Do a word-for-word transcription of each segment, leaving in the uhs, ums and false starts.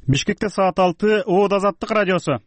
Бишкекте саат алты, Оод Азаттык радиосу.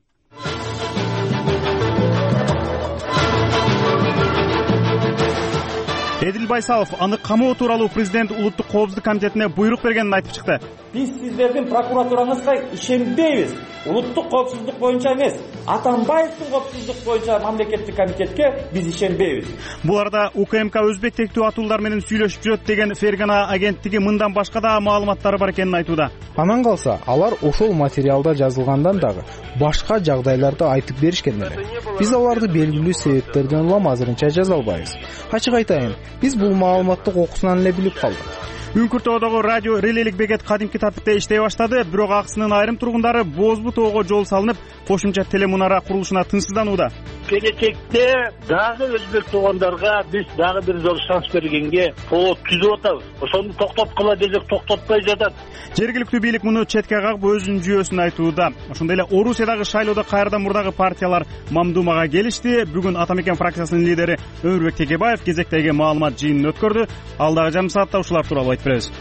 Эдил Байсалов аны камоо тууралуу президент улуттук коопсуздук комитетине буйрук бергенин айтып чыкты. Биз сиздердин прокуратураңызга ишенбейбиз. Улуттук коопсуздук боюнча эмес, Атамбаевдин коопсуздук боюнча мамлекеттик комитетке биз ишенбейбиз. Бул арада УКМК өзбек тектүү атуулар менен сүйлөшүп жүрөт деген Фергана агенттиги мындан башка да маалыматтары бар экенин айтууда. Анан калса, алар ошол материалда жазылгандан дагы башка жагдайларды айтып беришкен эле. Биз аларды белгилүү себептерден улам азырынча жаза албайбыз. Ачык айтайын, биз бул маалыматты окуусунан эле билип калдык. Үңкүр тоодогу радио релелик бекет кадимки тартипте иштей баштады, бирок акысынын айрым тургундары Бозбу тоого жол салынып, кошумча телемунара курулушуна тынчсызданууда. Келечекте дагы өзбек туугандарга биз дагы бир жолу шанс бергенге тоо түзүп атабыз. Ошону токтоткула десек токтотпой жатат. Жергиликтүү бийлик муну четке кагып өзүнүн жүйөсүн айтууда. Ошондой эле Орусиядагы шайлоодо кайрадан мурдагы партиялар мамдумага келишти. Бүгүн Атамекен фракциясынын лидери Өмүрбек Текебаев кезектеги маалымат жыйынын өткөрдү. Алдагы жарым саатта ушулар тууралуу айтып беребиз.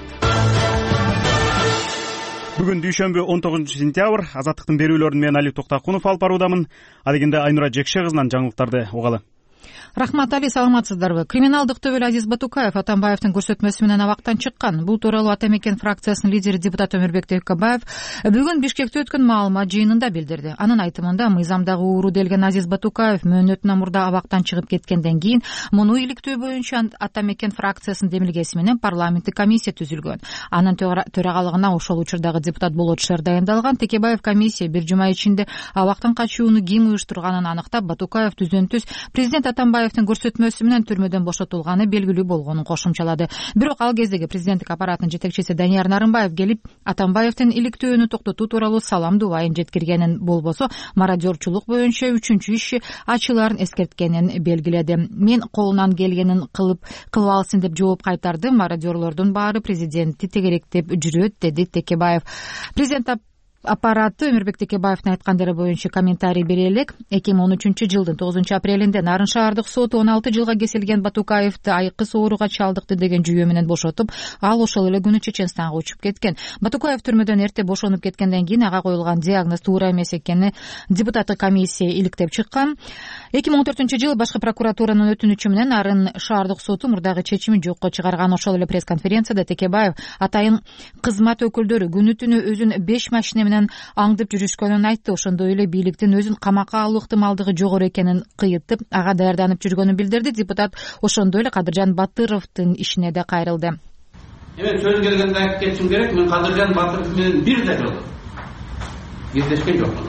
Бүгүн дүйшөмбү он тогузунчу сентябрь. Азаттыктын берүүлөрүн мен Али Токтакунов алып баруудамын. Адегенде Айнура Жекше кызынан жаңылыктарды угалы. Рахмат Али, саламатсыздарбы? Криминалдык төбөл Азиз Батукаев Атамбаевдин көрсөтмөсү менен абактан чыккан. Бул тууралуу Атамекен фракциясынын лидери депутат Өмүрбек Текебаев бүгүн Бишкекте өткөн маалымат жыйынында билдирди. Анын айтымында мыйзамдагы ууру делген Азиз Батукаев мөөнөтүнөн мурда абактан чыгып кеткенден кийин муну иликтөө боюнча Атамекен фракциясынын демилгеси менен парламенттик комиссия түзүлгөн. Анын төрагалыгына ошол учурдагы депутат Болотшер дайындалган. Текебаев комиссия бир жума ичинде абактан качууну ким уюштурганын аныктап, Батукаев түзөн-түз президент Атамбаев көрсөтмөсү менен түрмөдөн бошотулганы белгилүү болгонун кошумчалады. Бирок ал кездеги президенттик аппараттын жетекчиси Данияр Нарымбаев келип, Атамбаевдин иликтөөнү токтотуу тууралуу салам дубайын жеткиргенин, болбосо мародерчулук боюнча үчүнчү иши ачыларын эскерткенин белгиледи. Мен колунан келгенин кылып кылып алсын деп жооп кайтардым. Мародерлордун баары президентти тегеректеп жүрөт, деди Текебаев. Президент аппараты Өмүрбек Текебаевдин айткандары боюнча комментарий бере элек. эки миң он үчүнчү жылдын тогузунчу апрелинде Нарын шаардык соту он алты жылга кесилген Батукаевди айкыс ооруга чалдыкты деген жүйө менен бошотуп, ал ошол эле күнү Чеченстанга учуп кеткен. Батукаев түрмөдөн эрте бошонуп кеткенден кийин ага коюлган диагноз туура эмес экени депутаттык комиссия иликтеп чыккан. эки миң он төртүнчү жылы башкы прокуратуранын өтүнүчү менен Нарын шаардык соту мурдагы чечимин жокко чыгарган. Ошол эле пресс-конференцияда Текебаев атайын кызмат өкүлдөрү күнү түнү өзүн беш машина менен аңдып жүрүшкөнүн айтты. Ошондой эле бийликтин өзүн камакка алуу ыктымалдыгы жогору экенин кыйытып, ага даярданып жүргөнүн билдирди. Депутат ошондой эле Кадыржан Батыровдун ишине да кайрылды. Эми сөз келгенде айтып кетишим керек, мен Кадыржан Батыров менен бир да жолу кездешкен жокмун.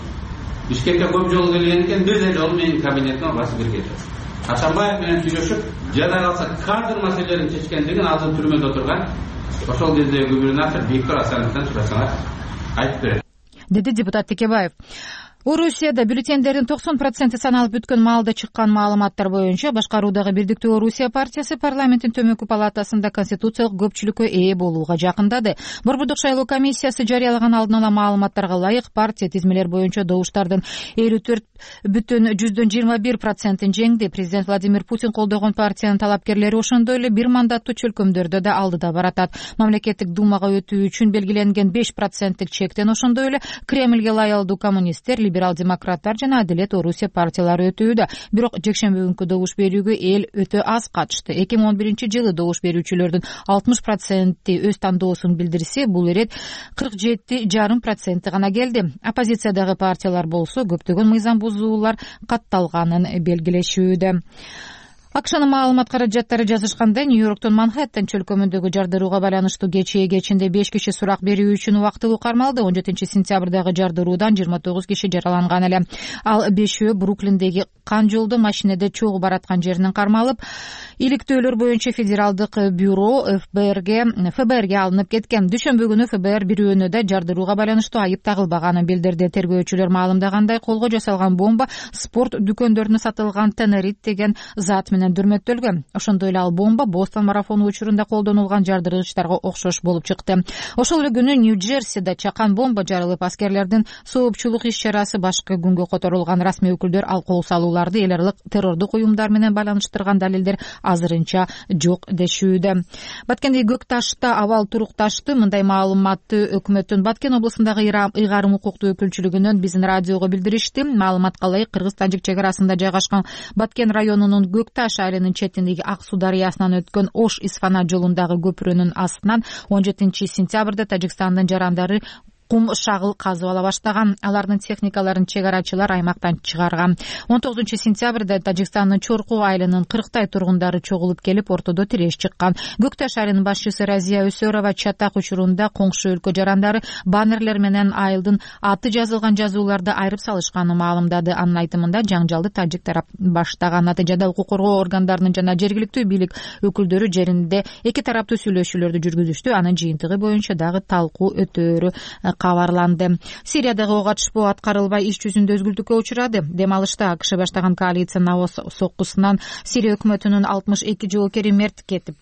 Бишкекке көп жолу келген экен, бир да жолу менин кабинетиме басып кирген жок. Атамбаев менен сүйлөшүп, жада калса кадр маселелерин чечкендигин азыр түрмөдө отурган ошол кездеги губернатор Виктор Асановдон сурасаңар айтып берет, деди депутат Текебаев. Орусияда бюллетендердин токсон проценти саналып бүткөн маалда чыккан маалыматтар боюнча башкаруудагы Бирдиктүү Орусия партиясы парламенттин төмөнкү палатасында конституциялык көпчүлүккө ээ болууга жакындады. Борбордук шайлоо комиссиясы жарыялаган алдын ала маалыматтарга ылайык партия тизмелер боюнча добуштардын элүү төрт бүтүн жүздөн жыйырма бир процентин жеңди. Президент Владимир Путин колдогон партиянын талапкерлери ошондой эле бир мандаттуу чөлкөмдөрдө да алдыда баратат. Мамлекеттик думага өтүү үчүн белгиленген беш проценттик чектен ошондой эле Кремльге лаялдуу коммунисттер, либерал-демократтар жана Адилет Орусия партиялары өтүүдө. Бирок жекшемби күнкү добуш берүүгө эл өтө аз катышты. эки миң он биринчи жылы добуш берүүчүлөрдүн алтымыш проценти өз тандоосун билдирсе, бул ирет кырк жети жарым проценти гана келди. Оппозициядагы партиялар болсо көптөгөн мыйзам бузуулар катталганын белгилешүүдө. Акшнын маалымат каражаттары жазышкандай, Нью-Йорктун Манхэттен чөлкөмүндөгү жардырууга байланыштуу кечээ кечинде беш киши сурак берүү үчүн убактылуу кармалды. он жетинчи сентябрдагы жардыруудан жыйырма тогуз киши жараланган эле. Ал бешөө Бруклиндеги кан жолдо машинеде чогуу бараткан жеринен кармалып, иликтөөлөр боюнча федералдык бюро эф бэ эрге эф бэ эрге алынып кеткен. Дүйшөмбү күнү эф бэ эр бирөөнө да жардырууга байланыштуу айып тагылбаганын билдирди. Тергөөчүлөр маалымдагандай, колго жасалган бомба спорт дүкөндөрүнө сатылган тенерит деген зат менен менен дүрмөттөлгөн. Ошондой эле ал бомба Бостон марафону учурунда колдонулган жардыргычтарга окшош болуп чыкты. Ошол эле күнү Нью-Джерсиде чакан бомба жарылып, аскерлердин соопчулук иш-чарасы башка күнгө которулган. Расмий өкүлдөр ал кол салууларды эл аралык террордук уюмдар менен байланыштырган далилдер азырынча жок дешүүдө. Баткенди көк ташта абал турукташты. Мындай маалыматты өкмөттүн Баткен облусундагы ыйгарым укуктуу өкүлчүлүгүнөн биздин радиого билдиришти. Маалыматка ылайык, Кыргыз-Тажик чек арасында жайгашкан Баткен районунун Көк Таш айылынын четиндеги Ак Суу дарыясынан өткөн Ош-Исфана жолундагы көпүрөнүн астынан он жетинчи сентябрда Тажикстандын жарандары кум шагыл казып ала баштаган. Алардын техникаларын чек арачылар аймактан чыгарган. он тогузунчу сентябрда Тажикстандын Чорку айылынын кырктай тургундары чогулуп келип, ортодо тиреш чыккан. Көк Таш айылынын башчысы Разия Өсөрова чатак учурунда коңшу өлкө жарандары баннерлер менен айылдын аты жазылган жазууларды айрып салышканын маалымдады. Анын айтымында жаңжалды тажик тарап баштаган. Натыйжада укук коргоо органдарынын жана жергиликтүү бийлик өкүлдөрү жеринде эки тараптуу сүйлөшүүлөрдү жүргүзүштү. Анын жыйынтыгы боюнча дагы талкуу өтөөрү кабарланды. Сириядагы ок атышпоо аткарылбай иш жүзүндө өзгүлтүккө учурады. Дем алышта АКШ баштаган коалиция навоз соккусунан Сирия өкмөтүнүн алтымыш эки жоокери мерт кетип,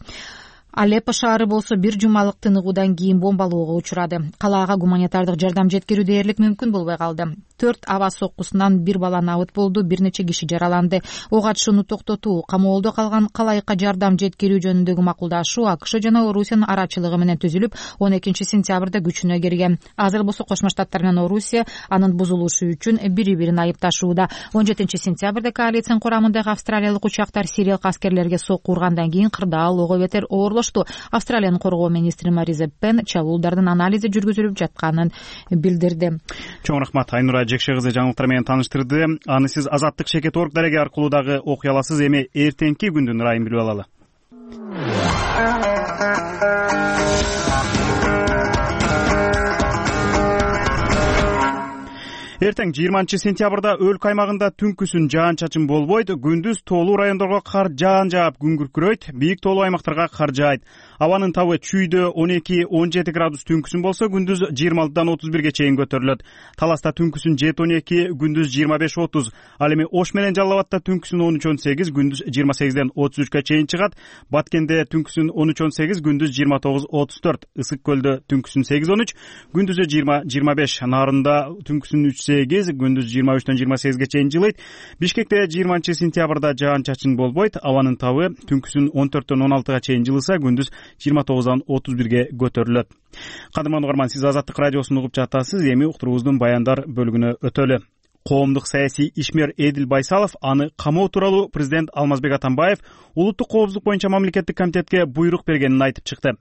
Алеппо шаары болсо бир жумалык тыныгуудан кийин бомбалоого учурады. Калаага гуманитардык жардам жеткирүү дээрлик мүмкүн болбой калды. Төрт аба соккусунан бир бала набыт болду, бир нече киши жараланды. Ок атышууну токтотуу, камоолдо калган калайыкка жардам жеткирүү жөнүндөгү макулдашуу АКШ жана Орусиянын арачылыгы менен түзүлүп, он экинчи сентябрда күчүнө кирген. Азыр болсо Кошмо Штаттар менен Орусия анын бузулушу үчүн бири-бирин айыпташууда. он жетинчи сентябрда коалициянын курамындагы австралиялык учактар сириялык аскерлерге сокку ургандан кийин кырдаал ого бетер оорлошту. Австралиянын коргоо министри Мариза Пен чабуулдардын анализи жүргүзүлүп жатканын билдирди. Чоң рахмат. Айнура Жекше кызы жаңылыктар менен тааныштырды. Аны сиз Азаттык Шекет орг дареги аркылуу дагы окуй аласыз. Эми эртеңки күндүн ырайын билип алалы. Эртең жыйырманчы сентябрда өлкө аймагында түнкүсүн жаан-чачын болбойт, күндүз тоолуу райондорго кар жаан жаап күн күркүрөйт, бийик тоолуу аймактарга кар жаайт. Абанын табы чүйдө он эки он жети градус түнкүсүн болсо, күндүз жыйырма алтыдан отуз бирге чейин көтөрүлөт. Таласта түнкүсүн жети он эки, күндүз жыйырма беш отуз. Ал эми Ош менен Жалал Абадта түнкүсүн он үч он сегиз, күндүз жыйырма сегизден отуз үчкө чейин чыгат. Баткенде түнкүсүн он үч он сегиз, күндүз жыйырма тогуз отуз төрт. Ысык көлдө түнкүсүн сегиз он үч, күндүзү жыйырма жыйырма беш. Нарында түнкүсүн үч сегиз, күндүз жыйырма үчтөн жыйырма сегизге чейин жылыйт. Бишкекте жыйырманчы сентябрда жаан-чачын болбойт. Абанын табы түнкүсүн он төрттөн он алтыга чейин жылыса, күндүз жыйырма тогуздан отуз бирге көтөрүлөт. Кадырман угарман, сиз Азаттык радиосун угуп жатасыз. Эми уктуруубуздун баяндар бөлүгүнө өтөлү. Коомдук саясий ишмер Эдил Байсалов аны камоо тууралуу президент Алмазбек Атамбаев улуттук коопсуздук боюнча мамлекеттик комитетке буйрук бергенин айтып чыкты.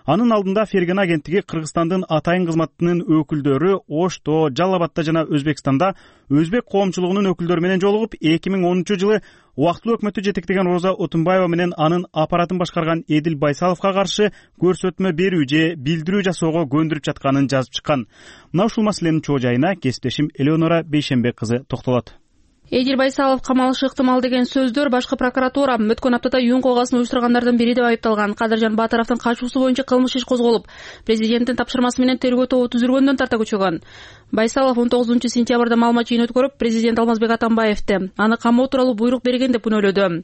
Анын алдында Ферген агенттиги Кыргызстандын атайын кызматынын өкүлдөрү Ошто, Жалал Абадта жана Өзбекстанда өзбек коомчулугунун өкүлдөрү менен жолугуп, эки миң онунчу жылы убактылуу өкмөттү жетектеген Роза Отунбаева менен анын аппаратын башкарган Эдил Байсаловго каршы көрсөтмө берүү же билдирүү жасоого көндүрүп жатканын жазып чыккан. Мына ушул маселенин чоо жайына кесиптешим Элеонора Бейшенбек кызы токтолот. Эдил Байсалов камалышы ыктымал деген сөздөр башкы прокуратура өткөн аптада юун колгасын уюштургандардын бири деп айыпталган. Кадыржан Баатаровдун качуусу боюнча кылмыш иш козголуп, президенттин тапшырмасы менен тергөө тобу түзүлгөндөн тарта күчөгөн. Байсалов он тогузунчу сентябрда маалымат жыйын өткөрүп, президент Алмазбек Атамбаевди аны камоо тууралуу буйрук берген деп күнөөлөдү.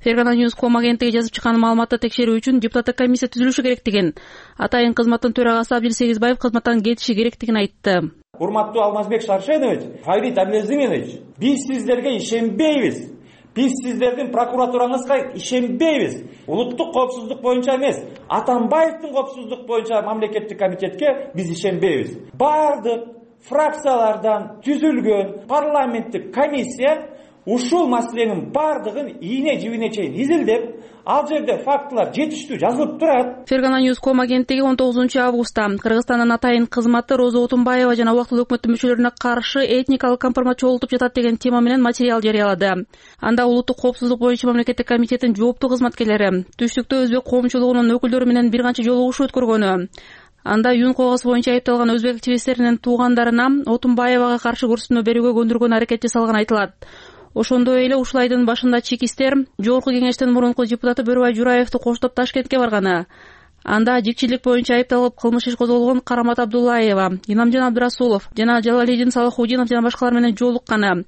Фергана Ньюс ком агенттиги жазып чыккан маалыматты текшерүү үчүн депутаттык комиссия түзүлүшү керектигин, атайын кызматтын төрагасы Абдил Сегизбаев кызматтан кетиши керектигин айтты. Урматтуу Алмазбек Шаршенович, Фарид Абдилазизович, биз сиздерге ишенбейбиз. Биз сиздердин прокуратураңызга ишенбейбиз. Улуттук коопсуздук боюнча эмес, Атамбаевдин коопсуздук боюнча мамлекеттик комитетке биз ишенбейбиз. Бардык фракциялардан түзүлгөн парламенттик комиссия ушул маселенин бардыгын ийне жибине чейин изилдеп, ал жерде фактылар жетиштүү жазылып турат. Фергана Ньюс ком агенттиги он тогузунчу августта Кыргызстандын атайын кызматы Роза Отунбаева жана убактылуу өкмөттүн мүчөлөрүнө каршы этникалык компромат чогултуп жатат деген тема менен материал жарыялады. Анда улуттук коопсуздук боюнча мамлекеттик комитеттин жооптуу кызматкерлери түштүктө өзбек коомчулугунун өкүлдөрү менен бир канча жолугушуу өткөргөнү, анда юун колгасы боюнча айыпталган өзбек активисттеринин туугандарына Отунбаевага каршы көрсөтмө берүүгө көндүргөн аракет жасалганы айтылат. Ошондой эле ушул айдын башында чекистер Жогорку кеңештин мурунку депутаты Бөрүбай Жураевди коштоп Ташкентке барганы. Анда жикчилик боюнча айыпталып кылмыш иш козголгон Карамат Абдуллаева, Инамжан Абдырасулов жана Жалалидин Салахудинов жана башкалар менен жолукканы.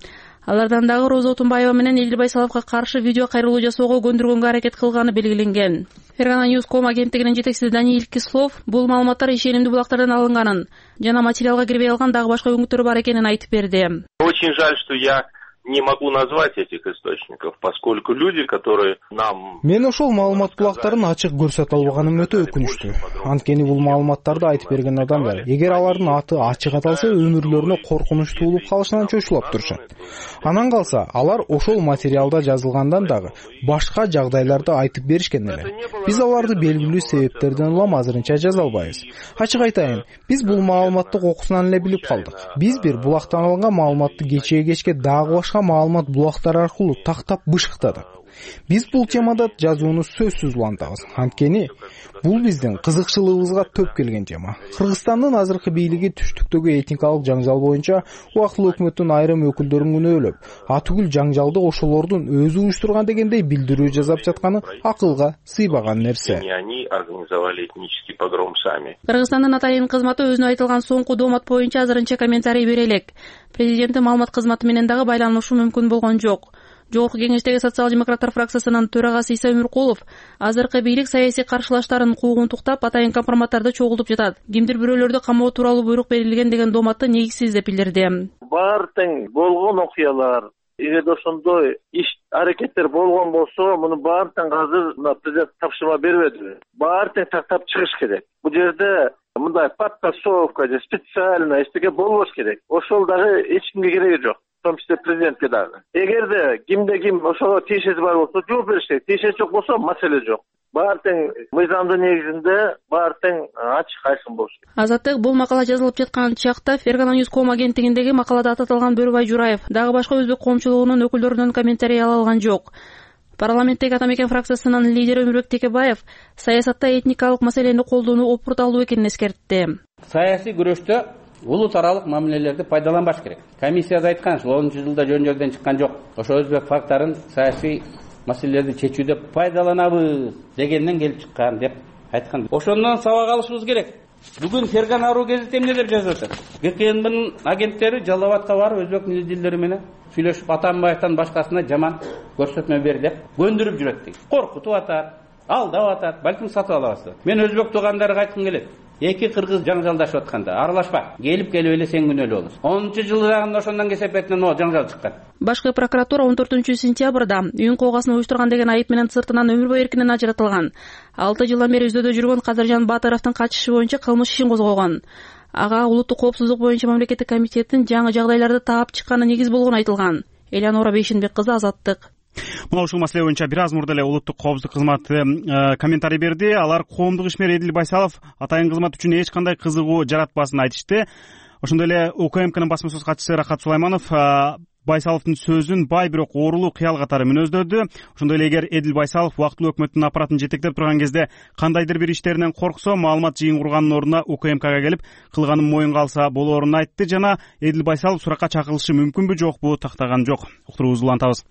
Алардан дагы Роза Отунбаева менен Эдил Байсаловго каршы видео кайрылуу жасоого көндүргөнгө аракет кылганы белгиленген. Фергана News точка ком агенттигинин жетекчиси Даниил Кислов бул маалыматтар ишенимдүү булактардан алынганын жана материалга кирбей алган дагы башка өңүттөр бар экенин айтып берди. Очень жаль, что я не могу назвать этих источников, поскольку люди, которые нам... Мен ошол маалымат булактарын ачык көрсөтө албаганым өтө өкүнүчтүү. Анткени бул маалыматтарды айтып берген адамдар, эгер алардын аты ачык аталса, өмүрлөрүнө коркунуч туулуп калышынан чочулап турушат. Анан калса, алар ошол материалда жазылгандан дагы башка жагдайларды айтып беришкен эле. Биз аларды белгилүү себептерден улам азырынча жаза албайбыз. Ачык айтайын, биз бул маалыматты окуусунан эле билип калдык. Биз бир булактан алынган маалыматты кечээ кечке дагы башка маалымат булактары аркылуу тактап бышыктадык. Биз бул темада жазууну сөзсүз улантабыз. Анткени бул биздин кызыкчылыгыбызга төп келген тема. Кыргызстандын азыркы бийлиги түштүктөгү этникалык жаңжал боюнча убактылуу өкмөттүн айрым өкүлдөрүн күнөөлөп, атүгүл жаңжалды ошолордун өзү уюштурган дегендей билдирүү жасап жатканы акылга сыйбаган нерсе. Они организовали этнический погром сами. Кыргызстандын атайын кызматы өзүнө айтылган соңку доомат боюнча азырынча комментарий бере элек. Президенттин маалымат кызматы менен дагы байланышы мүмкүн болгон жок. Жогорку кеңештеги социал-демократтар фракциясынын төрагасы Иса Өмүркулов азыркы бийлик саясий каршылаштарын куугунтуктап атайын компроматтарды чогултуп жатат. Кимдир бирөөлөрдү камоо тууралуу буйрук берилген деген дооматты негизсиз деп билдирди. Баары тең болгон окуялар, эгерде ошондой иш аракеттер болгон болсо, муну баары тең азыр мына президент тапшырма бербеди. Баары тең тактап чыгыш керек. Бул жерде мындай подтасовка же специально эчтеке болбош керек. Ошол дагы эч кимге кереги жок. В том числе президентке дагы. Эгерде кимде ким ошого тиешеси бар болсо, жооп бериш керек. Тиешеси жок болсо, маселе жок. Баары тең мыйзамдын негизинде баары тең ачык айкын болуш керек. Азаттык бул макала жазылып жаткан чакта Фергана News точка ком агенттигиндеги макалада аталган Бөрүбай Жураев дагы башка өзбек коомчулугунун өкүлдөрүнөн комментарий ала алган жок. Парламенттеги Атамекен фракциясынын лидери Өмүрбек Текебаев саясатта этникалык маселени колдонуу опурталуу экенин эскертти. Саясий күрөштө улут аралык мамилелерди пайдаланбаш керек. Комиссияда айткан, ушул онунчу жылда жөн жерден чыккан жок. Ошо өзбек факторун саясий маселелерди чечүүдө пайдаланабыз дегенден келип чыккан деп айткан. Ошондон сабак алышыбыз керек. Бүгүн Фергана Ару гезити эмне деп жазып атат? ГКНБнын агенттери Жалал Абадка барып өзбек дилдери менен сүйлөшүп Атамбаевтан башкасына жаман көрсөтмө бер деп көндүрүп жүрөт дейт. Коркутуп атат, алдап атат, балким сатып алабыз. Мен өзбек туугандарга айткым келет. Эки кыргыз жаңжалдашып атканда аралашпа. Келип келип эле сен күнөөлүү болосуң. онунчу жылдагында ошондон кесепетинен о жаңжал чыккан. Башкы прокуратура он төртүнчү сентябрда үйүн коогасын уюштурган деген айып менен сыртынан өмүр бою эркинен ажыратылган. алты жылдан бери издөөдө жүргөн Кадыржан Баатаровдун качышы боюнча кылмыш ишин козгогон. Ага улуттук коопсуздук боюнча мамлекеттик комитеттин жаңы жагдайларды таап чыкканы негиз болгону айтылган. Элянора Бейшенбек кызы, Азаттык. Мына ушул маселе боюнча бир аз мурда эле улуттук коопсуздук кызматы комментарий берди. Алар коомдук ишмер Эдил Байсалов атайын кызмат үчүн эч кандай кызыгуу жаратпасын айтышты. Ошондой эле УКМКнын басма сөз катчысы Рахат Сулайманов Байсаловдун сөзүн бай бирок оорулуу кыял катары мүнөздөдү. Ошондой эле эгер Эдил Байсалов убактылуу өкмөттүн аппаратын жетектеп турган кезде кандайдыр бир иштеринен корксо, маалымат жыйын курганын ордуна УКМКга келип кылганын моюнга алса болоорун айтты жана Эдил Байсалов суракка чакырылышы мүмкүнбү жокпу тактаган жок. Уктуруубузду улантабыз.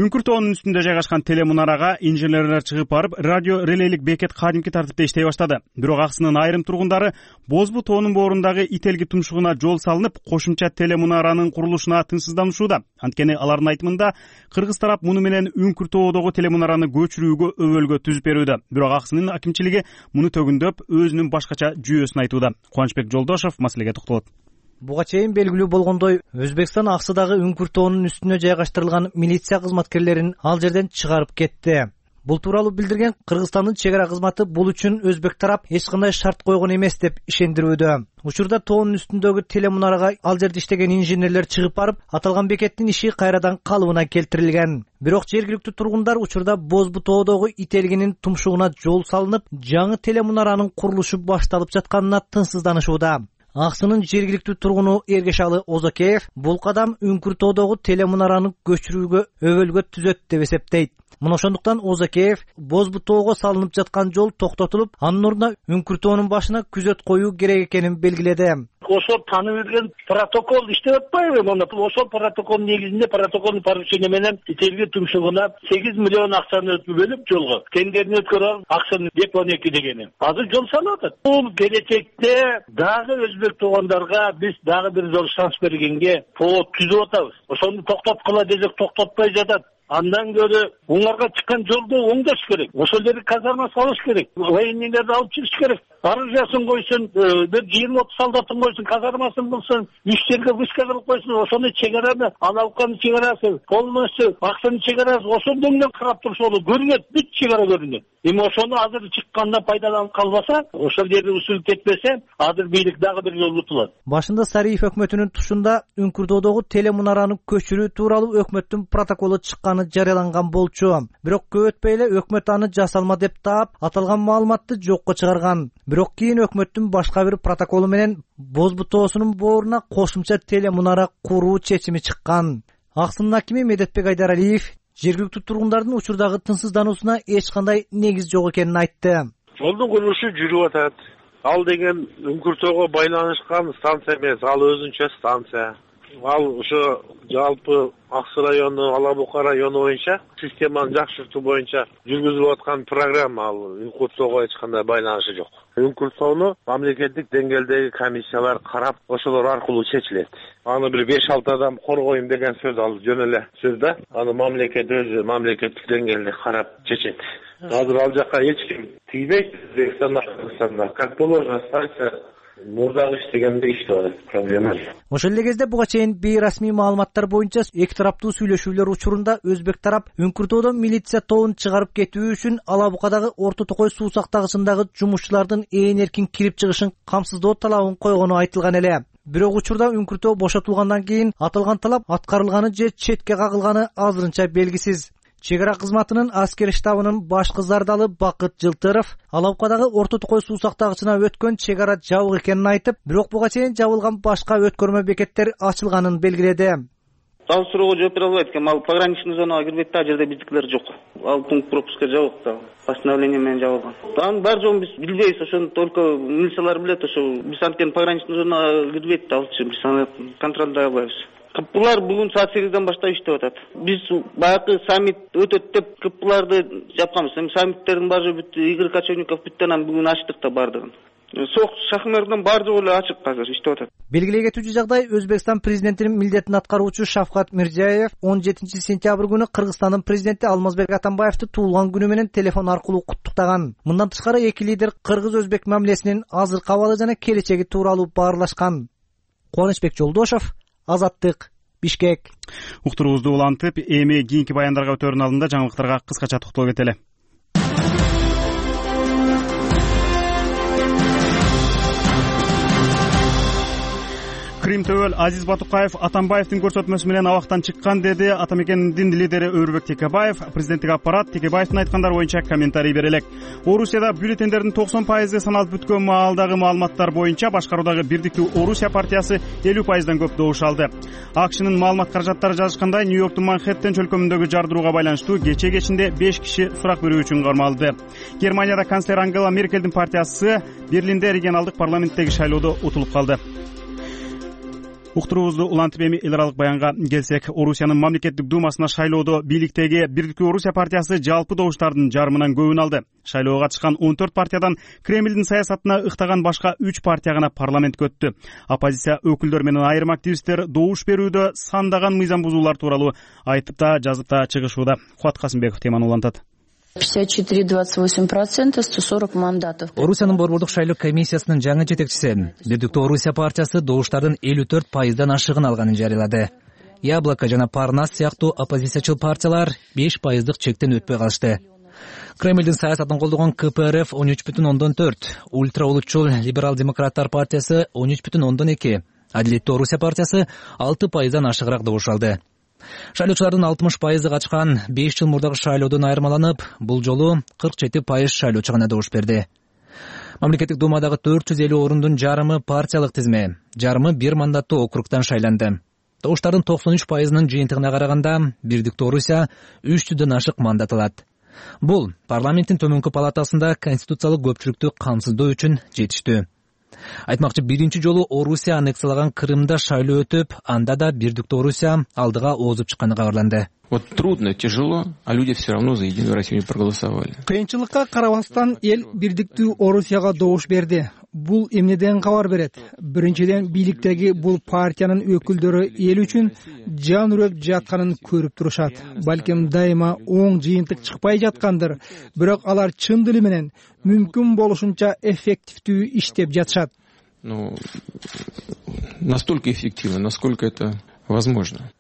Үңкүр тоонун үстүндө жайгашкан телемунарага инженерлер чыгып барып, радио релейлик бекет кадимки тартипте иштей баштады. Бирок аксынын айрым тургундары Бозбу тоонун боорундагы Ителги тумшугуна жол салынып, кошумча телемунаранын курулушуна тынчсызданышууда. Анткени алардын айтымында кыргыз тарап муну менен Үңкүр тоодогу телемунараны көчүрүүгө өбөлгө түзүп берүүдө. Бирок аксынын акимчилиги муну төгүндөп, өзүнүн башкача жүйөсүн айтууда. Кубанычбек Жолдошов маселеге токтолот. Буга чейин белгилүү болгондой, Өзбекстан Аксыдагы Үңкүр тоонун үстүнө жайгаштырылган милиция кызматкерлерин ал жерден чыгарып кетти. Бул тууралуу билдирген Кыргызстандын чек ара кызматы бул үчүн өзбек тарап эч кандай шарт койгон эмес деп ишендирүүдө. Учурда тоонун үстүндөгү телемунарага ал жерде иштеген инженерлер чыгып барып, аталган бекеттин иши кайрадан калыбына келтирилген. Бирок жергиликтүү тургундар учурда Бозбу тоодогу Ителгинин тумшугуна жол салынып, жаңы телемунаранын курулушу башталып жатканына тынчсызданышууда. Аксынын жергиликтүү тургуну Эргешалы Озакеев бул кадам Үңкүр тоодогу телемунараны көчүрүүгө өбөлгө түзөт деп эсептейт. Мына ошондуктан Озакеев Бозбу тоого салынып жаткан жол токтотулуп, анын ордуна Үңкүр тоонун башына күзөт коюу керек экенин белгиледи. ошол таанып берген протокол иштеп атпайбы? Мына ошол протоколдун негизинде протоколдун поручение менен ителги тумшугуна сегиз миллион акчаны бөлүп жолго тендерин өткөрүп акчаны деп он эки дегени. Азыр жол салып атат. Бул келечекте дагы өзбек туугандарга биз дагы бир жол шанс бергенге повод түзүп атабыз. Ошону токтоткула десек токтотпой жатат. Андан көрө уңарга чыккан жолду оңдош керек. Ошол жерге казарма салыш керек. Военныйларды алып чыгыш керек. Оружиясын койсун, бир жыйырма отуз солдатын койсун, казармасын кылсын, үч жерге вышка кылып койсун, ошону чегараны, аналканы чегарасы, полностью акчаны чегарасы ошондон менен карап турса болот. Көрүнөт, бүт чегара көрүнөт. Эми ошону азыр чыкканда пайдаланып калбаса, ошол жерде усул кетпесе, азыр бийлик дагы бир жолу утулат. Башында Сариев өкмөтүнүн тушунда Үңкүрдөдөгү телемунараны көчүрүү тууралуу өкмөттүн протоколу чыкканы жарыяланган болчу. Бирок көп өтпөй эле өкмөт аны жасалма деп таап, аталган маалыматты жокко чыгарган. Бирок кийин өкмөттүн башка бир протоколу менен Боз бутоосунун бооруна кошумча телемунара куруу чечими чыккан. Аксынын акими Медетбек Айдаралиев жергиликтүү тургундардын учурдагы тынчсыздануусуна эч кандай негиз жок экенин айтты. Жолдун курулушу жүрүп атат. Ал деген Үңкүрдөөгө байланышкан станция эмес, ал өзүнчө станция. Ал ошо жалпы Аксы району, Алабука району боюнча системаны жакшыртуу боюнча жүргүзүлүп аткан программа. Ал Үңкүрдөөгө эч кандай байланышы жок. Үңкүрдөөнү мамлекеттик деңгээлдеги комиссиялар карап, ошолор аркылуу чечилет. Аны бир беш алты адам коргойм деген сөз ал жөн эле сөз да. Аны мамлекет өзү мамлекеттик деңгээлде карап чечет. Азыр ал жака эч ким тийбейт. Өзбекстанда, Кыргызстанда как положено станция мурдагы иштегенде иштеп атат, проблема жок. Ошол эле кезде буга чейин бейрасмий маалыматтар боюнча эки тараптуу сүйлөшүүлөр учурунда өзбек тарап Үңкүрдөөдөн милиция тобун чыгарып кетүү үчүн Алабукадагы Орто Токой суу сактагычындагы жумушчулардын ээн эркин кирип чыгышын камсыздоо талабын койгону айтылган эле. Бирок учурда Үңкүрдөө бошотулгандан кийин аталган талап аткарылганы же четке кагылганы азырынча белгисиз. Чегара кызматынын аскер штабынын башкы зардалы Бакыт Жылтыров Алабукадагы Орто Токой суу сактагычына өткөн чегара жабык экенин айтып, бирок буга чейин жабылган башка өткөрмө бекеттер ачылганын белгиледи. Ал суроого жооп бере албайт экенмин. Ал пограничный зонага кирбейт да, ал жерде биздикилер жок. Ал пункт пропуска жабык да, постановление менен жабылган. Анын бар жогун биз билбейбиз, ошону только милициялар билет. Ошо биз анткени пограничный зонага кирбейт да, алчы биз аны контролдой албайбыз. Кыппылар бүгүн саат сегизден баштап иштеп атат. Биз баягы саммит өтөт деп кыппыларды жапканбыз. Эми саммиттердин баары бүт, Игорь Кочевников бүттү, анан бүгүн ачтык да бардыгын. Сок шахмердин баары жогу эле ачык азыр иштеп атат. Белгилей кетүүчү жагдай, Өзбекстан президентинин милдетин аткаруучу Шавкат Мирзиёев он жетинчи сентябрь күнү Кыргызстандын президенти Алмазбек Атамбаевди туулган күнү менен телефон аркылуу куттуктаган. Мындан тышкары эки лидер кыргыз-өзбек мамилесинин азыркы абалы жана келечеги тууралуу баарлашкан. Кубанычбек Жолдошов, Азаттык, Бишкек. Уктуруубузду улантып, эми кийинки баяндарга өтөрүн алдында жаңылыктарга кыскача токтолуп кетели. Крим төбөл Азиз Батукаев Атамбаевдин көрсөтмөсү менен абактан чыккан деди. Атамекендин лидери Өрбек Текебаев. Президенттик аппарат Текебаевдин айткандары боюнча комментарий бере элек. Орусияда бюллетендердин токсон пайызы саналып бүткөн маалдагы маалыматтар боюнча башкаруудагы Бирдиктүү Орусия партиясы элүү пайыздан көп добуш алды. АКШнын маалымат каражаттары жазышкандай, Нью-Йорктун Манхэттен чөлкөмүндөгү жардырууга байланыштуу кече кечинде беш киши сурак берүү үчүн кармалды. Германияда канцлер Ангела Меркелдин партиясы Берлинде регионалдык парламенттеги шайлоодо утулуп калды. Уктуруубузду улантып эми эл аралык баянга келсек, Орусиянын мамлекеттик думасына шайлоодо бийликтеги Бирдиктүү Орусия партиясы жалпы добуштардын жарымынан көбүн алды. Шайлоого катышкан он төрт партиядан Кремлдин саясатына ыктаган башка үч партия гана парламентке өттү. Оппозиция өкүлдөрү менен айрым активисттер добуш берүүдө сандаган мыйзам бузуулар тууралуу айтып да жазып да чыгышууда. Кубат Касымбеков теманы улантат. пятьдесят четыре двадцать восемь процентов, сто сорок мандатов. Орусиянын борбордук шайлоо комиссиясынын жаңы жетекчиси Бирдиктүү Орусия партиясы добуштардын элүү төрт пайыздан ашыгын алганын жарыялады. Яблоко жана Парнас сыяктуу оппозициячыл партиялар беш пайыздык чектен өтпөй калышты. Кремлдин саясатын колдогон ка пэ эр эф он үч бүтүн ондон төрт, ультра улутчул либерал-демократтар партиясы он үч бүтүн ондон эки, Адилеттүү Орусия партиясы алты пайыздан ашыгыраак добуш алды. Шайлоочулардын алтымыш пайызы качкан беш жыл мурдагы шайлоодон айырмаланып, бул жолу кырк жети пайыз шайлоочу гана добуш берди. Мамлекеттик думадагы төрт жүз элүү орундун жарымы партиялык тизме, жарымы бир мандаттуу округтан шайланды. Добуштардын токсон үч пайызынын жыйынтыгына караганда Бирдиктүү Орусия үч жүздөн ашык мандат алат. Бул парламенттин төмөнкү палатасында конституциялык көпчүлүктү камсыздоо үчүн жетиштүү. Айтмакчы, биринчи жолу Орусия аннексиялаган Крымда шайлоо өтүп, анда да бирдиктүү Орусия алдыга оозуп чыкканы кабарланды. Вот трудно, тяжело, а люди все равно за Единую Россию не проголосовали. Кыйынчылыкка карабастан эл бирдиктүү Орусияга добуш берди. Бул эмнеден кабар берет? Биринчиден, бийликтеги бул партиянын өкүлдөрү эл үчүн жан үрөк жатканын көрүп турушат. Балким дайыма оң жыйынтык чыкпай жаткандыр, бирок алар чын дили менен мүмкүн болушунча эффективдүү иштеп жатышат. Ну, настолько эффективно, насколько это возможно.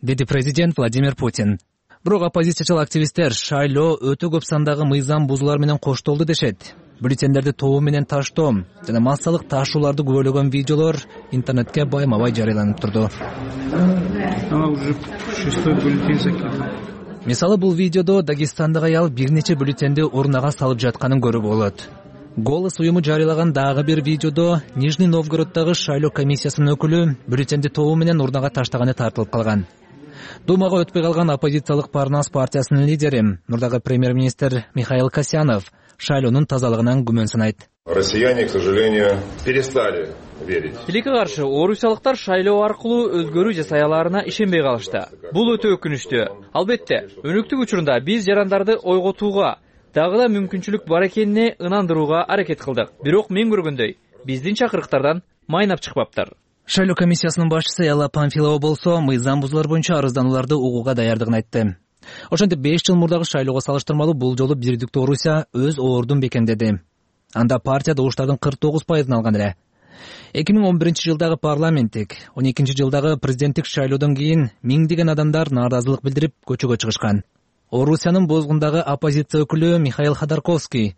Деди президент Владимир Путин. Бирок оппозициячыл активисттер шайлоо өтө көп сандагы мыйзам бузуулар менен коштолду дешет. Бюллетендерди тобу менен таштоо жана массалык ташууларды күбөлөгөн видеолор интернетке байма-бай жарыяланып турду. Уже шестой бюллетень закинул. Мисалы, бул видеодо Дагестандагы аял бир нече бюллетенди урнага салып жатканын көрүп болот. Голос уюму жарыялаган дагы бир видеодо Нижний Новгороддогу шайлоо комиссиясынын өкүлү бюллетенди тобу менен урнага таштаганы тартылып калган. Думага өтпөй калган оппозициялык Парнас партиясынын лидери, мурдагы премьер-министр Михаил Касьянов шайлоонун тазалыгынан күмөн санайт. Россияне, к сожалению, перестали верить. Тилекке каршы орусиялыктар шайлоо аркылуу өзгөрүү жасай аларына ишенбей калышты. Бул өтө өкүнүчтүү. Албетте, өнүктүк учурунда биз жарандарды ойготууга, дагы да мүмкүнчүлүк бар экенине ынандырууга аракет кылдык. Бирок мен көргөндөй, биздин чакырыктардан майнап чыкпаптыр. Шайлоо комиссиясынын башчысы Элла Памфилова болсо, мыйзам бузуулар боюнча арызданууларды угууга даярдыгын айтты. Ошентип беш жыл мурдагы шайлоого салыштырмалуу бул жолу бирдиктүү Орусия өз ордун бекемдеди. Анда партия добуштардын кырк тогуз пайызын алган эле. эки миң он биринчи жылдагы парламенттик, он экинчи жылдагы президенттик шайлоодон кийин миңдеген адамдар нааразылык билдирип көчөгө чыгышкан. Орусиянын бозгундагы оппозиция өкүлү Михаил Ходорковский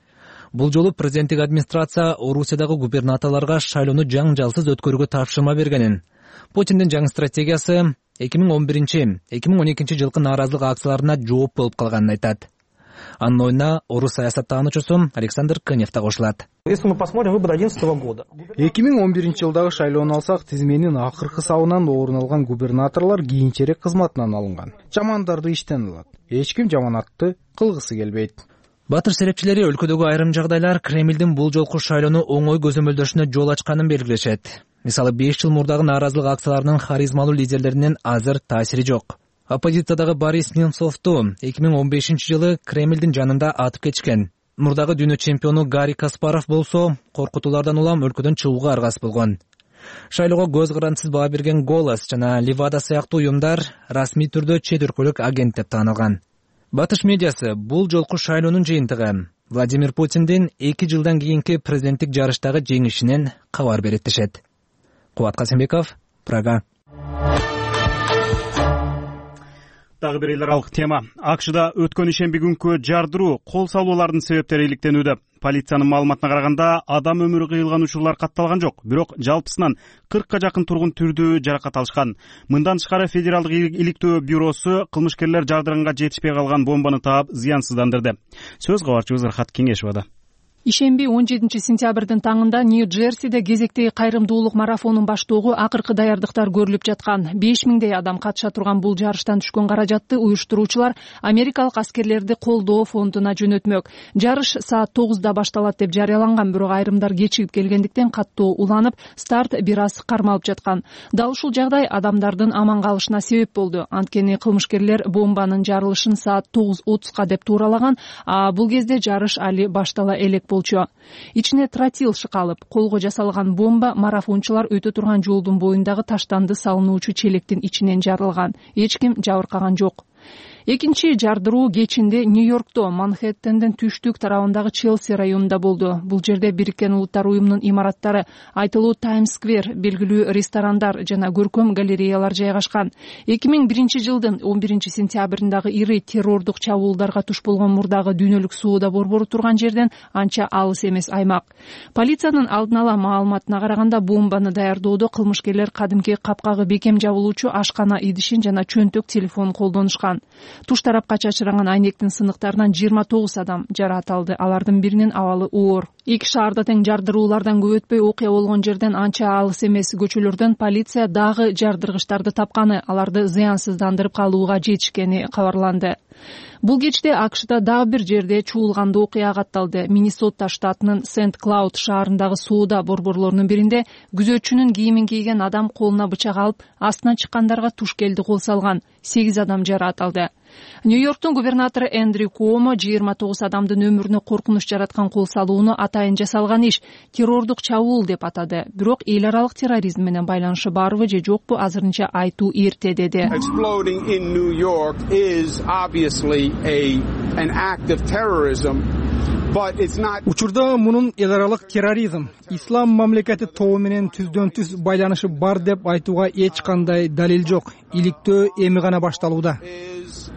бул жолу президенттик администрация Орусиядагы губернаторлорго шайлоону жаңжалсыз өткөрүүгө тапшырма бергенин, Путиндин жаңы стратегиясы эки миң он биринчи — эки миң он экинчи жылкы нааразылык акцияларына жооп болуп калганын айтат. Анын оюна орус саясаттануучусу Александр Кынев да кошулат. Если мы посмотрим выборы одиннадцатого года. эки миң он биринчи жылдагы шайлоону алсак, тизменин акыркы сабынан орун алган губернаторлор кийинчерээк кызматынан алынган. Жамандарды иштен алат. Эч ким жаманатты кылгысы келбейт. Батыш серепчилери өлкөдөгү айрым жагдайлар Кремлдин бул жолку шайлоону оңой көзөмөлдөшүнө жол ачканын белгилешет. Мисалы, беш жыл мурдагы нааразылык акцияларынын харизмалуу лидерлеринин азыр таасири жок. Оппозициядагы Борис Немцовду эки миң он бешинчи жылы Кремлдин жанында атып кетишкен. Мурдагы дүйнө чемпиону Гарри Каспаров болсо, коркутуулардан улам өлкөдөн чыгууга аргасыз болгон. Шайлоого көз карандысыз баа берген Голос жана Левада сыяктуу уюмдар расмий түрдө чет өлкөлүк агент деп таанылган. Батыш медиасы бул жолку шайлоонун жыйынтыгы Владимир Путиндин эки жылдан кийинки президенттик жарыштагы жеңишинен кабар берет дешет. Кубат Касымбеков, Прага. Дагы бир эл аралык тема. АКШда өткөн ишемби күнкү жардыруу, кол салуулардын себептери иликтенүүдө. Полициянын маалыматына караганда, адам өмүрү кыйылган учурлар катталган жок, бирок жалпысынан кыркка жакын тургун түрдүү жаракат алышкан. Мындан тышкары Федералдык иликтөө бюросу кылмышкерлер жардыранга жетишпей калган бомбаны таап зыянсыздандырды. Сөз кабарчыбыз Рахат Кеңешовада. Ишемби он жетинчи сентябрдын таңында Нью-Джерсиде кезектеги кайрымдуулук марафонун баштоого акыркы даярдыктар көрүлүп жаткан. беш миңдей адам катыша турган бул жарыштан түшкөн каражатты уюштуруучулар америкалык аскерлерди колдоо фондуна жөнөтмөк. Жарыш саат тогузда башталат деп жарыяланган, бирок айрымдар кечигип келгендиктен каттоо уланып, старт бир аз кармалып жаткан. Дал ушул жагдай адамдардын аман калышына себеп болду. Анткени кылмышкерлер бомбанын жарылышын саат тогуз отузга деп тууралаган, а бул кезде жарыш али баштала элек болчу. Ичине тротил шыкалып, колго жасалган бомба марафончулар өтө турган жолдун боюндагы таштанды салынуучу челектин ичинен жарылган. Эч ким жабыркаган жок. Экинчи жардыруу кечинде Нью-Йоркто Манхэттендин түштүк тарабындагы Челси районунда болду. Бул жерде Бириккен Улуттар уюмунун имараттары, айтылуу Таймс-сквер, белгилүү ресторандар жана көркөм галереялар жайгашкан. эки миң биринчи жылдын он биринчи сентябрындагы ири террордук чабуулдарга туш болгон мурдагы дүйнөлүк соода борбору турган жерден анча алыс эмес аймак. Полициянын алдын ала маалыматына караганда, бомбаны даярдоодо кылмышкерлер кадимки капкагы бекем жабылуучу ашкана идишин жана чөнтөк телефон колдонушкан. Туш тарапка чачыранган айнектин сыныктарынан жыйырма тогуз адам жараат алды. Алардын биринин абалы оор, Эки шаарда тең жардыруулардан көп өтпөй окуя болгон жерден анча алыс эмес көчөлөрдөн полиция дагы жардыргычтарды тапканы, аларды зыянсыздандырып калууга жетишкени кабарланды. Бул кечте АКШда дагы бир жерде чуулгандуу окуя катталды. Миннесота штатынын Сент-Клауд шаарындагы соода борборлорунун биринде күзөтчүнүн кийимин кийген адам колуна бычак алып, астынан чыккандарга туш келди кол салган. сегиз адам жараат алды. Нью-Йорктун губернатору Эндрю Куомо жыйырма тогуз адамдын өмүрүнө коркунуч жараткан кол салууну атайын жасалган иш террордук чабуул деп атады. Бирок эл аралык терроризм менен байланышы барбы же жокпу азырынча айтуу эрте деди. Exploding in New York is obviously a an act of terrorism. Учурда мунун эл аралык терроризм, ислам мамлекети тобу менен түздөн түз байланышы бар деп айтууга эч кандай далил жок. Иликтөө эми гана башталууда,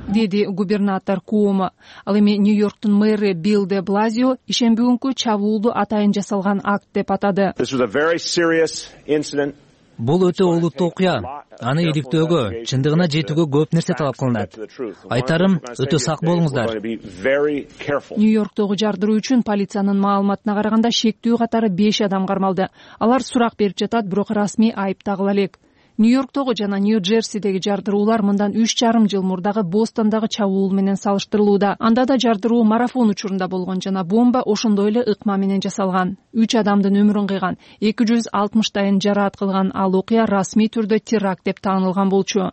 деди губернатор Куомо. Ал эми Нью-Йорктун мэры Билл де Блазио ишемби күнкү чабуулду атайын жасалган акт деп атады. Бул өтө олуттуу окуя. Аны иликтөөгө, чындыгына жетүүгө көп нерсе талап кылынат. Айтарым, өтө сак болуңуздар. Нью-Йорктогу жардыруу үчүн полициянын маалыматына караганда шектүү катары беш адам кармалды. Алар сурак берип жатат, бирок расмий айып тагыла элек. Нью-Йорктогу жана Нью-Джерсидеги жардыруулар мындан үч жарым жыл мурдагы Бостондагы чабуул менен салыштырылууда. Анда да жардыруу марафон учурунда болгон жана бомба ошондой эле ыкма менен жасалган. үч адамдын өмүрүн кыйган, эки жүз алтымыштайын жараат кылган ал окуя расмий түрдө теракт деп таанылган болчу.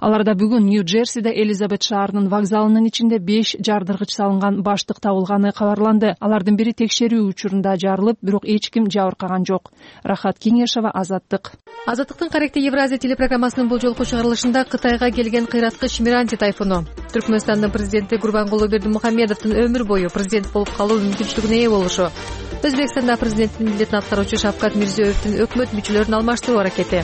Аларда бүгүн Нью-Джерсиде Элизабет шаарынын вокзалынын ичинде беш жардыргыч салынган баштык табылганы кабарланды. Алардын бири текшерүү учурунда жарылып, бирок эч ким жабыркаган жок. Рахат Кеңешова, Азаттык. Азаттыктын Каректи Евразия телепрограммасынын бул жолку чыгарылышында Кытайга келген кыйраткыч Миранти тайфуну, Түркмөнстандын президенти Гурбангулы Бердимухамедовдун өмүр бою президент болуп калуу мүмкүнчүлүгүнө ээ болушу, Өзбекстанда президенттин милдетин аткаруучу Шавкат Мирзиёевдин өкмөт мүчөлөрүн алмаштыруу аракети,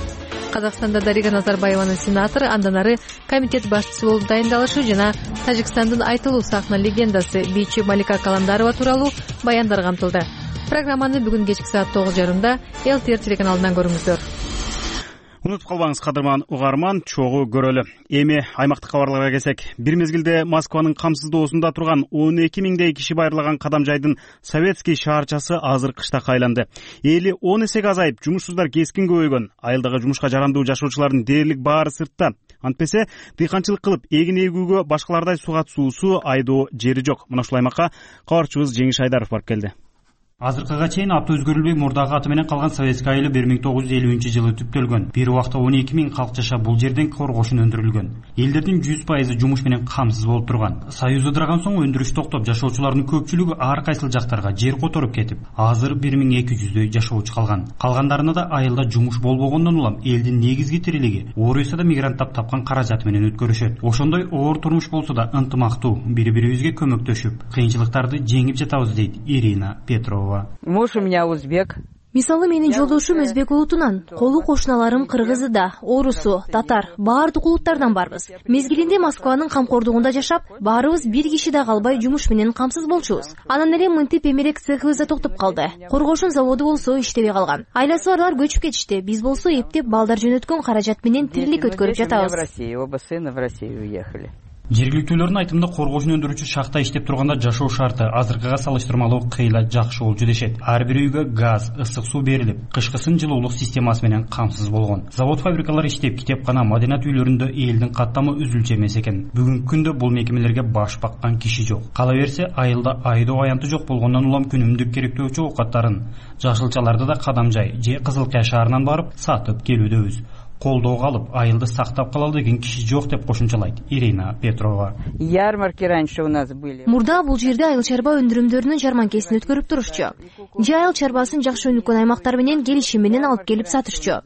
Казакстанда Дарига Назарбаеванын сенатору андан ары комитет башчысы болуп дайындалышы жана Тажикстандын айтылуу сахна легендасы бийчи Малика Каландарова тууралуу баяндар камтылды. Программаны бүгүн кечки саат тогуз жарымда эл ти эр телеканалынан көрүңүздөр. Унутуп калбаңыз, кадырман угарман, чогуу көрөлү. Эми аймактык кабарларга келсек, бир мезгилде Москванын камсыздоосунда турган он эки миңдей киши байырлаган Кадамжайдын Советский шаарчасы азыр кыштакка айланды. Эли он эсеге азайып, жумушсуздар кескин көбөйгөн. Айылдагы жумушка жарандуу жашоочулардын дээрлик баары сыртта. Антпесе дыйканчылык кылып эгин эгүүгө башкалардай сугат суусу айдоо жери жок. Мына ушул аймакка кабарчыбыз Жеңиш Айдаров барып келди. Азыркыга чейин абты өзгөрүлбөй мурдагы аты менен калган Советский айылы бир миң тогуз жүз элүүнчү жылы түптөлгөн. Бир убакта он эки миң калк жашап бул жерден коргошун өндүрүлгөн. Элдердин жүз пайызы жумуш менен камсыз болуп турган. Союз ыдыраган соң өндүрүш токтоп, жашоочулардын көпчүлүгү ар кайсыл жактарга жер которуп кетип, азыр бир миң эки жүздөй жашоочу калган. Калгандарына да айылда жумуш болбогондон улам элдин негизги тирилиги Орусияда мигранттап тапкан каражаты менен өткөрүшөт. Ошондой оор турмуш болсо да ынтымактуу, бири-бирибизге көмөктөшүп, кыйынчылыктарды жеңип жатабыз дейт Ирина Петрова. Узбек. Мисалы менин жолдошум өзбек улутунан, колу кошуналарым кыргызы да, орусу, татар, баардык улуттардан барбыз. Мезгилинде Москванын камкордугунда жашап, баарыбыз бир киши да калбай жумуш менен камсыз болчубуз. Анан эле мынтип эмерек цехыбыз да токтоп калды. Коргошун заводу болсо иштебей калган. Айласы барлар көчүп кетишти. Биз болсо эптеп балдар жөнөткөн каражат менен тирилик өткөрүп жатабыз. В Россию, оба сына в Россию уехали. Жергиликтүүлөрдүн айтымында коргошун өндүрүүчү шахта иштеп турганда жашоо шарты азыркыга салыштырмалуу кыйла жакшы болчу дешет. Ар бир үйгө газ, ысык суу берилип, кышкысын жылуулук системасы менен камсыз болгон. Завод фабрикалар иштеп, китепкана, маданият үйлөрүндө элдин каттамы үзүлчү эмес экен. Бүгүнкү күндө бул мекемелерге баш баккан киши жок. Кала берсе, айылда айдоо аянты жок болгондон улам күнүмдүк керектөөчү оокаттарын, жашылчаларды да Кадамжай же Кызылкая шаарынан барып сатып келүүдөбүз. Колдоого алып, айылды сактап калалы деген киши жок деп кошумчалайт Ирина Петрова. Ярмарки раньше у нас были. Мурда бул жерде айыл чарба өндүрүмдөрүнүн жарманкесин өткөрүп турушчу. Же айыл чарбасын жакшы өнүккөн аймактар менен келишим менен алып келип сатышчу.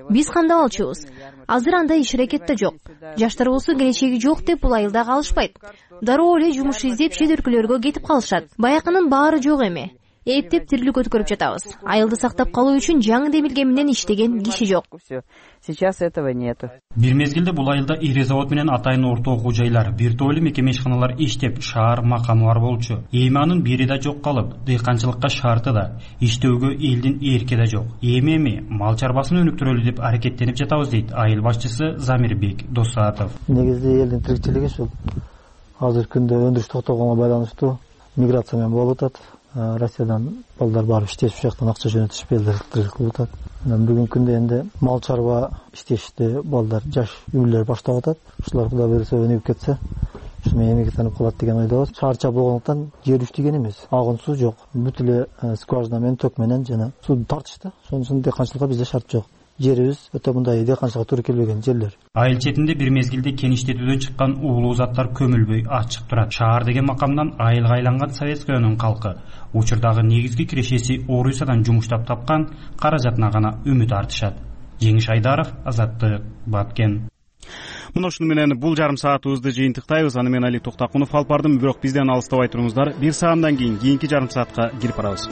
Биз кандап алчубуз? Азыр андай иш аракет да жок. Жаштар болсо келечеги жок деп бул айылда калышпайт. Дароо эле жумуш издеп чет өлкөлөргө кетип калышат. Баякынын баары жок эми. Эптеп тирилик өткөрүп жатабыз. Айылды сактап калуу үчүн жаңы демилге менен иштеген киши жок. Сейчас этого нету. Бир мезгилде бул айылда ири завод менен атайын орто окуу жайлар, бир топ эле мекеме ишканалар иштеп, шаар макамы бар болчу. Эми анын бири да жок калып, дыйканчылыкка шарты да, иштөөгө элдин эрки да жок. Эми эми мал чарбасын өнүктүрөлү деп аракеттенип жатабыз дейт айыл башчысы Замирбек Досатов. Негизги элдин тиричилиги ушул азыркы күндө өндүрүш токтогонго байланыштуу миграция менен болуп атат. Россиядан балдар барып иштешип, ушул жактан акча жөнөтүшүп элдер тирилик кылып атат. Анан бүгүнкү күндө энди мал чарба иштешти балдар, жаш үйлөр баштап атат. Ушулар Кудай буйруса өнүгүп кетсе, ушу менен эмгектенип калат деген ойдобуз. Шаарча болгондуктан жер үстүгөн эмес, агын суу жок. Бүт эле скважина менен, ток менен жана сууну тартышты. Ошон үчүн дыйканчылыкка бизде шарт жок. Жерибиз өтө мындай дыйканчылыкка туура келбеген жерлер. Айыл четинде бир мезгилде кеништетүүдөн чыккан уулуу заттар көмүлбөй ачык турат. Шаар деген макамдан айылга айланган Советскойнун калкы учурдагы негизги кирешеси Орусиядан жумуштап тапкан каражатына гана үмүт артышат. Жеңиш Айдаров, Азаттык, Баткен. Мына ушуну менен бул жарым саатыбызды жыйынтыктайбыз. Аны мен Али Токтакунов алып бардым. Бирок бизден алыстабай туруңуздар. Бир саамдан кийин кийинки жарым саатка кирип барабыз.